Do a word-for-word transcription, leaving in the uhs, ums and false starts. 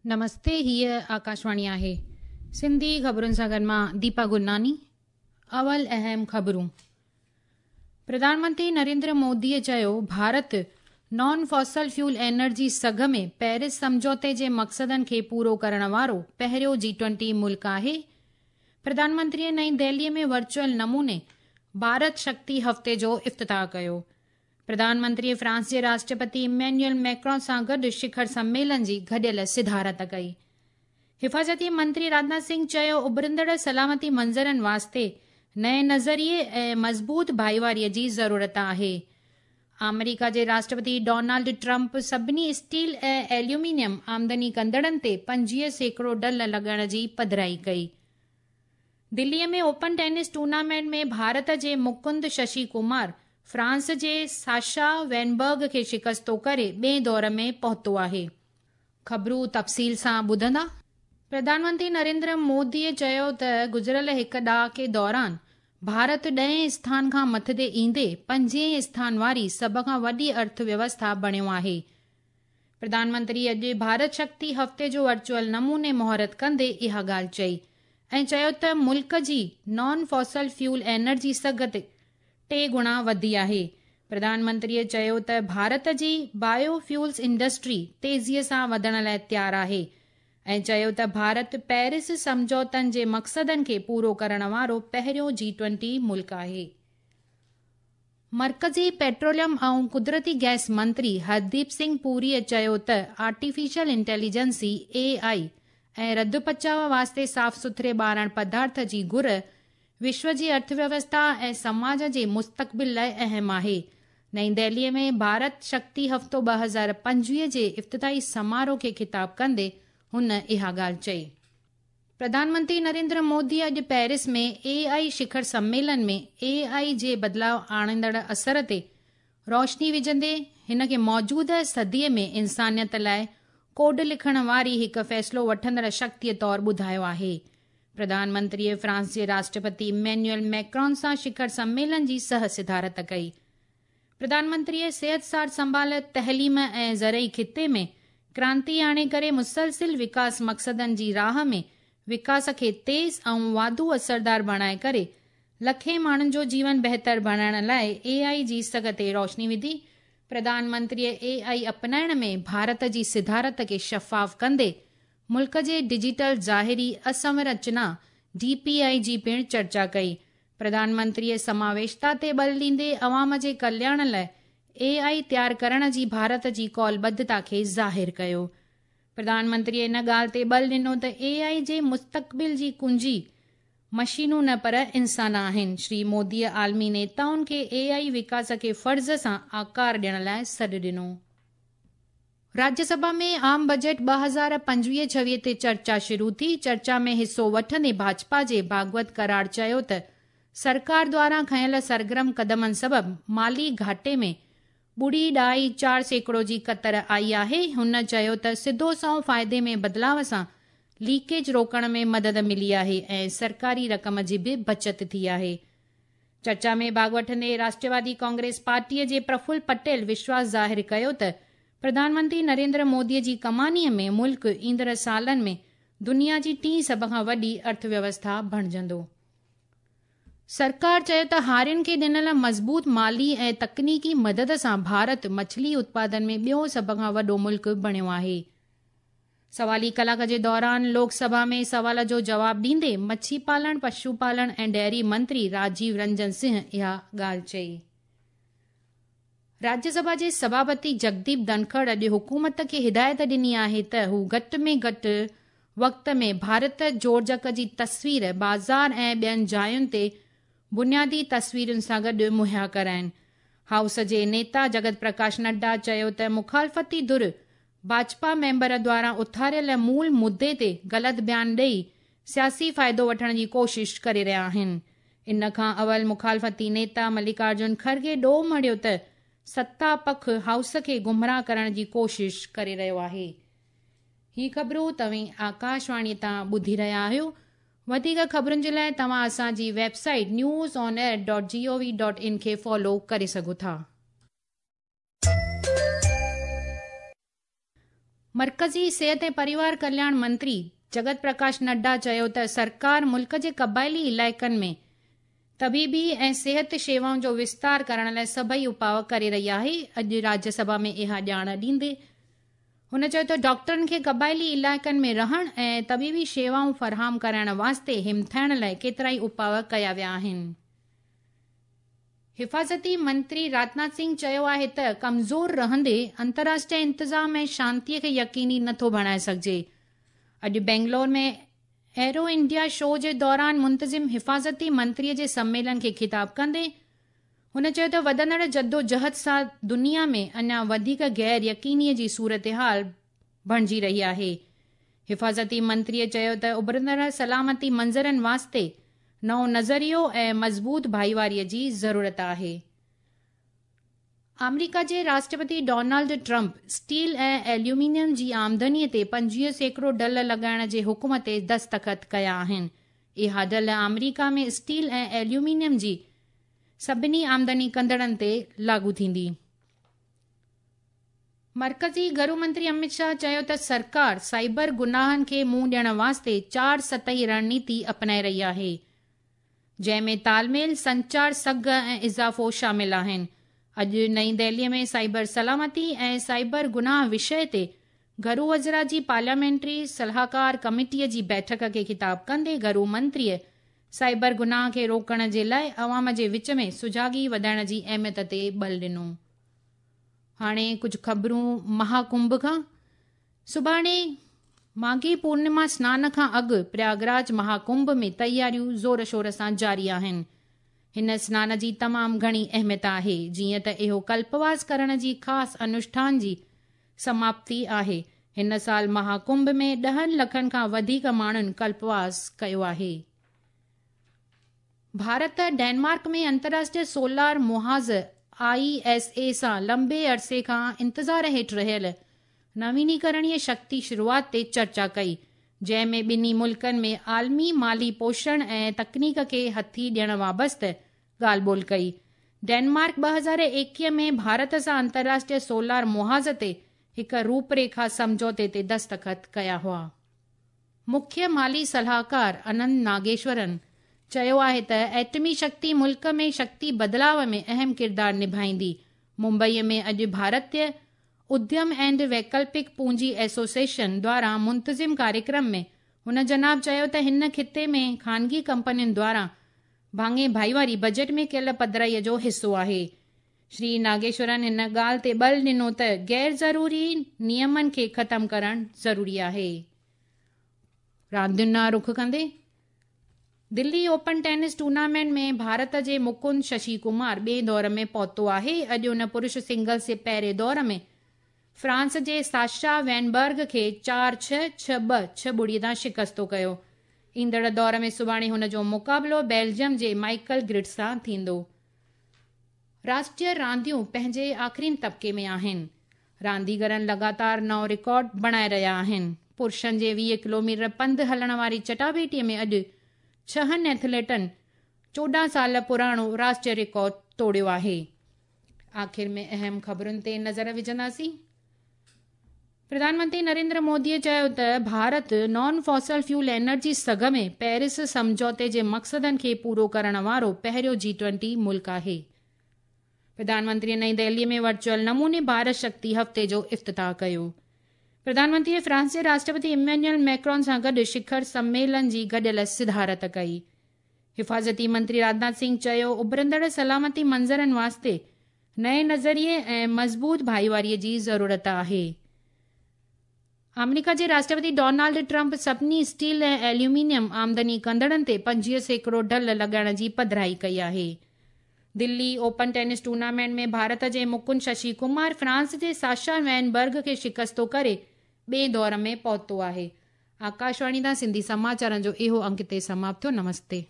نمستي، هيء آڪاشواڻي آهي. سنڌي خبرن سان گڏ مان ديپا گرناني. اول اهم خبرون. پرڌان منتري نريندر موديء چيو، ڀارت نان فوسل فيول انرجي سگهه ۾ پيرس سمجهوتي جي مقصدن کي پورو ڪرڻ وارو پهريون جي ٽوئنٽي ملڪ آهي. پرڌان منتريء نئين دهليء ۾ ورچوئل نموني ڀارت شڪتي هفتي جو افتتاح ڪيو. پرڌان منتريء فرانس جي راشٽرپتي ايمينيول ميڪرون سان گڏ شکر سميلن جي گڏيل صدارت ڪئي. حفاظتي منتري راجناٿ سنگهه چيو، اڀرندڙ سلامتي منظرن واسطي نئين نظريي ۽ مضبوط ڀائيواريء جي ضرورت آهي. آمريڪا جي راشٽرپتي ڊونالڊ ٽرمپ سڀني اسٽيل ۽ ايليومينيم آمدني ڪندڙن تي پنجويهه سيڪڙو ڍل لڳائڻ جي پڌرائي ڪئي. دليء ۾ اوپن ٽينس ٽورنامينٽ ۾ ڀارت جي مڪند ششي ڪمار فرانس جي ساشا وينبرگ کي شڪستو ڪري ٻئي دور ۾ پهتو آهي. خبرون تفصيل سان ٻڌندا. پرڌان منتري نريندر موديء چيو ته گذريل هڪ ڏهاڪي دوران ڀارت ڏهين اسٿان کان مٿتي ايندي پنجين اسٿان واري سڀ کان وڏي ارٿ ويوسٿا بڻيو آهي. پرڌان منتري اڄ ڀارت شڪتي هفتي جو ورچوئل نموني مهورت ڪندي اها ڳالهه چئي ۽ چيو ته ملڪ جي نان فوسل فيول انرجي سگهه ٽي گڻا وڌي آهي. پرڌان منتريء چيو ته ڀارت جي بايو فيولز انڊسٽري تيزيء سان وڌڻ لاءِ تيار آهي ۽ چيو ته ڀارت پيرس سمجهوتن جي مقصدن کي پورو ڪرڻ وارو پهريون جي ٽوئنٽي ملڪ آهي. مرڪزي پيٽروليم ۽ قدرتي گئس منتري هرديپ سنگهه پوريء چيو ته آرٽيفيشل انٽيليجنسي اي I ۽ رڌ پچاءُ واسطي صاف سٿري ٻارڻ پدارٿ جي گهر وشو جي ارٿ ويوسٿا ۽ سماج جي مستقبل لاءِ اهم آهي. نئين دهليء ۾ ڀارت شڪتي هفتو ٻه هزار پنجويهه جي افتتاحي سماروهه کي خطاب ڪندي هن اها ڳالهه چئي. پرڌان منتري نريندر مودي اڄ پيرس ۾ اي آئي شکر سميلن ۾ اي آئي جي بدلاءُ آڻيندڙ اثر تي روشني وجهندي هن کي موجوده صديءَ ۾ انسانيت لاءِ ڪوڊ لکڻ واري هڪ فيصلو وٺندڙ شڪتيءَ طور ٻڌايو آهي. پرڌان منتريء فرانس جي راشٽرپتي ايمينيول ميڪرون سان شکر سميلن جي سهه صدارت ڪئي. پرڌان منتريء صحت سار سنڀال، تعليم ۽ زرعي خطي ۾ ڪرانتي آڻي ڪري مسلسل وڪاس مقصدن جي راهه ۾ وڪاس کي تيز ۽ واڌو اثردار بڻائي ڪري لکين ماڻهن جو جيون بهتر بڻائڻ لاءِ اي آئي جي سگهه تي روشني وڌي. پرڌان منتريء اي آئي اپنائڻ ۾ ڀارت جي صدارت کي شفاف ڪندي ملڪ جي ڊجيٽل ظاهري اسنرچنا ڊي پي I جي پڻ چرچا ڪئي. پرڌان منتريء سماويشتا تي ٻل ڏيندي عوام جي ڪلياڻ لاءِ اي آئي تيار ڪرڻ جي ڀارت جي ڪالبڌتا کي ظاهر ڪيو. پرڌان منتريء ان ڳالهه تي ٻل ڏنو ته اي آئي جي مستقبل جي ڪنجي مشينون نه پر انسان آهن. شري موديء عالمي نيتائن کي اي آئي وڪاس کي فرض سان آڪار ڏيڻ لاءِ سڏ ڏنو. راجيه سڀا ۾ عام بجيٽ ٻه هزار پنجويهه ڇويهه تي چرچا شروع ٿي. چرچا ۾ حصو وٺندي ڀاجپا جي ڀاڳوت ڪراڙ چيو ته سرڪار دواران کنيل سرگرم قدمن سبب مالي گهاٽي ۾ ٻڙي ڏهائي چار سيڪڙو جي ڪتر آئي آهي. هن چيو ته سڌو سنئون فائدي ۾ بدلاءُ سان ليڪيج روڪڻ ۾ مدد ملي آهي ۽ سرڪاري رقم جي به بچت ٿي آهي. چرچا ۾ ڀاڳ وٺندي راشٽروادي ڪانگريس پارٽيءَ جي پرڦل پٽيل وشواس ظاهر ڪيو ته پرڌان منتري نريندر موديءَ جي ڪمانيءَ ۾ ملڪ ايندڙ سالن ۾ دنيا جي ٽين سڀ کان وڏي ارٿ ويوسٿا بڻجندو. سرڪار چيو ته هارين کي ڏنل مضبوط مالي ۽ تڪنيڪي مدد سان ڀارت مڇلي اتپادن ۾ ٻيو سڀ کان وڏو ملڪ بڻيو آهي. سوالي ڪلاڪ جي دوران لوڪ سڀا ۾ سوال جو جواب ڏيندي مڇي پالڻ، پشو پالڻ ۽ ڊيري منتري راجيو رنجن سنگهه اها ڳالهه چئي. راجيه سڀا جي سڀاپتي جگديپ ڌنکڙ اڄ حڪومت کي هدايت ڏني آهي ته هو گهٽ ۾ گهٽ وقت ۾ ڀارت جوڙجڪ جي تصوير بازار ۽ ٻين جاين تي بنيادي تصويرن سان گڏ مهيا ڪرائين. هائوس جي نيتا جگت پرڪاش نڊا چيو ته مخالفتي ڌر ڀاجپا ميمبر دواران اٿاريل مول مدعي تي غلط بيان ڏيئي سياسي فائدو وٺڻ جي ڪوشش ڪري رهيا آهن. ان کان اول مخالفتي نيتا ملڪارجن کرگي ڏوهه مڙهيو ته ستا پک هائوس کي گمراهه ڪرڻ جي ڪوشش ڪري رهيو آهي. هي خبرون توهين آڪاشواڻي تان ٻڌي رهيا آهيو. وڌيڪ خبرن جي لاءِ توهان اسان جي website news on air dot G O V dot in کي فالو ڪري سگهو ٿا. मर्कज़ी सिहत ऐं परिवार कल्याण मंत्री जगत प्रकाश नड्डा चयो त सरकार मुल्क जे क़बाइली इलाइक़नि में तबीबी ऐं सिहत शेवाउनि जो विस्तार करण लाइ सभई उपाउ करे रही आहे। अॼु राज्यसभा में इहा ॼाण ॾींदे हुन चयो त डॉक्टरनि खे क़बाइली इलाइक़नि में रहण ऐं तबीबी शेवाऊं फराहम कराइण वास्ते हिमथाइण लाइ केतिरा ई उपाउ कया विया आहिनि। हिफाज़ती मंत्री राजनाथ सिंह चयो आहे त कमज़ोर रहंदे अंतर्राष्ट्रीय इंतज़ाम ऐं शांतीअ खे यकीनी नथो बणाए सघिजे। अॼु बेंगलोर में एरो इंडिया शो जे दौरान मुंतज़िम हिफाज़ती मंत्रीअ जे सम्मेलन खे ख़िताब कंदे हुन चयो त वधंदड़ जदोजहद सां दुनिया में अञा वधीक गैर यकीनीअ जी सूरत हाल बणिजी रही आहे। हिफाज़ती मंत्रीअ चयो त उभरंदड़ सलामती मंज़रनि वास्ते नओं नज़रियो ऐं मज़बूत भाईवारीअ जी ज़रूरत आहे। आमेरिका जे राष्ट्रपति डोनाल्ड ट्रंप स्टील ऐं एल्यूमिनियम जी आमदनीअ ते पंजवीह सैकड़ो ढल लॻाइण जे हुकुम ते दस्तख़त कया आहिनि। इहा ढल आमेरिका में स्टील ऐं एल्यूमिनियम जी सभिनी आमदनी कंदड़नि ते लागू थींदी। मर्कज़ी घरू मंत्री अमित शाह चयो त सरकार साइबर गुनाहनि खे मुंहुं ॾियण वास्ते चार सतही रणनीति अपनाए रही आहे, जंहिं में तालमेल, संचार, सघ ऐं इज़ाफ़ो शामिल आहिनि। अॼु नई दिल्लीअ में साइबर सलामती ऐं साइबर गुनाह विषय ते घरू वज़रा जी पार्लियामेंट्री सलाहकार कमेटीअ जी बैठक खे ख़िताब कंदे घरू मंत्रीअ साइबर गुनाह खे रोकण जे लाइ अवाम जे विच में सुजागी वधाइण जी अहमियत ते बल ॾिनो। हाणे कुझु ख़बरूं महाकुंभ खां। सुभाणे माघी पूर्णिमा स्नान खां अॻु प्रयागराज महाकुंभ में तयारियूं ज़ोर शोर सां जारी आहिनि। हिन स्नान जी तमामु घणी अहमियत आहे, जीअं त इहो कल्पवास करण जी ख़ासि अनुष्ठान जी समाप्ति आहे। हिन साल महाकुंभ में ॾहनि लखनि खां वधीक माण्हुनि कल्पवास कयो आहे। भारत डेनमार्क में अंतर्राष्ट्रीय सोलार मुहाज़ I S A सां लंबे अरसे खां इंतज़ार हेठि रहियल नवीनीकरणीय शक्ति शुरूआत ते चर्चा कई, जंहिं में ॿिन्ही मुल्कनि में आलमी माली पोषण ऐं तकनीक खे हथी ॾियण वाबस्त ॻाल्हि ॿोल कई। डेनमार्क ॿ हज़ार एकवीह में भारत सां अंतर्राष्ट्रीय सोलार मुहाज़ ते हिकु रूपरेखा सम्झौते ते दस्तख़त कया हुआ। मुख्य माली सलाहकार अनंत नागेश्वरन चयो आहे त एटमी शक्ति मुल्क में शक्ति बदिलाव में अहम किरदारु निभाईंदी। मुंबईअ में अॼु भारतीय उद्यम एंड वैकल्पिक पूंजी एसोसिएशन द्वारा मुंतज़िम कार्यक्रम में हुन जनाब चयो त हिन ख़िते में ख़ानगी कंपनियुनि द्वारा भाङे भाईवारी बजट में कयल पधराईअ जो हिसो आहे। श्री नागेश्वरन हिन ॻाल्हि ते बल ॾिनो त गैर ज़रूरी नियमनि खे ख़तमु करणु ज़रूरी आहे। रांदियुनि ॾांहुं रुख कंदे दिल्ली ओपन टेनिस टूर्नामेंट में भारत जे मुकुंद शशि कुमार ॿिए दौर में पहुतो आहे। अॼु हुन पुरुष सिंगल्स जे पहिरें दौर में फ्रांस जे साशा वैनबर्ग खे चारि छह छह ॿ छह ॿुड़ीअ तां शिकस्तो कयो। ईंदड़ दौर में सुभाणे हुन जो मुक़ाबिलो बेल्जियम जे माइकल ग्रिड सां थींदो। राष्ट्रीय रांदियूं पंहिंजे आख़िरीन तबिके में आहिनि। रांदीगरनि लगातार नओं रिकॉर्ड बणाए रहिया आहिनि। पुरुषनि जे वीह किलोमीटर पंधु हलण वारी चटाभेटीअ में अॼु छहनि एथलीटनि चोॾहं साल पुराणो राष्ट्रीय रिकॉर्ड तोड़ियो आहे। आख़िर में अहम ख़बरुनि ते नज़र विझंदासीं। प्रधानमंत्री नरेंद्र मोदीअ चयो त Bharat non fossil fuel energy सघ में पेरिस सम्झौते जे मक़सदनि खे पूरो करण वारो पहिरियों जी ट्वेंटी मुल्क आहे। प्रधानमंत्रीअ नई दिल्लीअ में वर्चुअल नमूने भारत शक्ति हफ़्ते जो इफ़्तिताह कयो। प्रधानमंत्रीअ फ्रांस जे राष्ट्रपति इमैनुअल मैक्रॉन सां गॾु शिखर सम्मेलन जी गॾियल सिधारत कई। हिफाज़ती मंत्री राजनाथ सिंह चयो उभरंदड़ सलामती मंज़रनि वास्ते नए नज़रिए ऐं मज़बूत भाईवारीअ जी ज़रूरत आहे। आमेरिका जे राष्ट्रपति डोनाल्ड ट्रंप सभिनी स्टील ऐं एल्यूमिनियम आमदनी कंदड़नि ते पंजवीह सैकड़ो ढल लॻाइण जी पधराई कई आहे। दिल्ली ओपन टेनिस टूर्नामेंट में भारत जे मुकुंद शशि कुमार फ्रांस जे साशा वैनबर्ग खे शिकस्तो करे ॿिए दौर में पहुतो आहे। आकाशवाणी तां सिंधी समाचारनि जो इहो अंक हिते समाप्त थियो। नमस्ते।